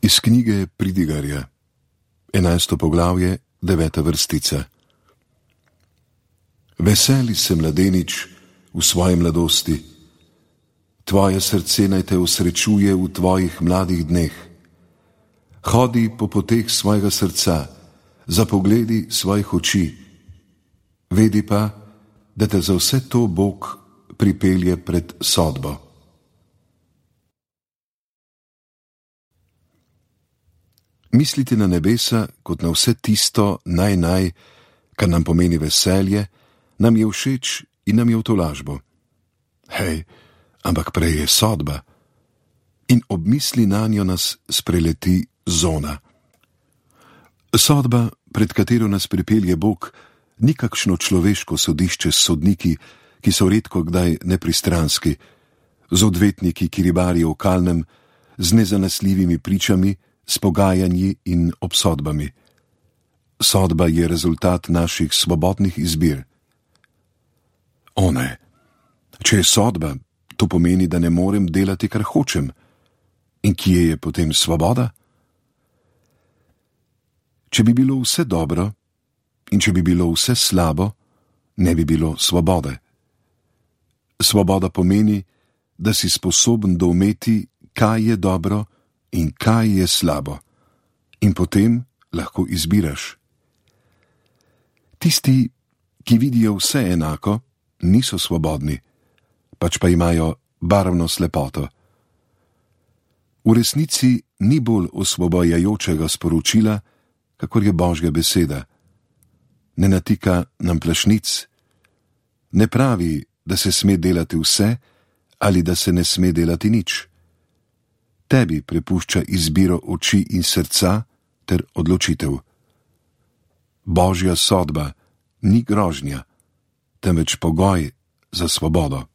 Iz knjige Pridigarja, 11. poglavje, 9. vrstica. Veseli se, mladenič, v svoji mladosti. Tvoje srce naj te osrečuje v tvojih mladih dneh. Hodi po poteh svojega srca, za pogledi svojih oči. Vedi pa, da te za vse to Bog pripelje pred sodbo. Misliti na nebesa kot na vse tisto kar nam pomeni veselje, nam je všeč in nam je v tolažbo. Hej, ampak prej je sodba. In ob misli nanjo nas spreleti zona. Sodba, pred katero nas pripelje Bog, ni kakšno človeško sodišče s sodniki, ki so redko kdaj nepristranski, z odvetniki, ki ribarijo v kalnem, z nezanesljivimi pričami, s pogajanji in obsodbami. Sodba je rezultat naših svobodnih izbir. O ne, če je sodba, to pomeni, da ne morem delati, kar hočem. In kje je potem svoboda? Če bi bilo vse dobro in če bi bilo vse slabo, ne bi bilo svobode. Svoboda pomeni, da si sposoben doumeti, kaj je dobro in kaj je slabo, in potem lahko izbiraš. Tisti, ki vidijo vse enako, niso svobodni, pač pa imajo barvno slepoto. V resnici ni bolj osvobojajočega sporočila, kakor je Božja beseda. Ne natika nam plašnic, ne pravi, da se sme delati vse ali da se ne sme delati nič. Tebi prepušča izbiro oči in srca ter odločitev. Božja sodba ni grožnja, temveč pogoj za svobodo.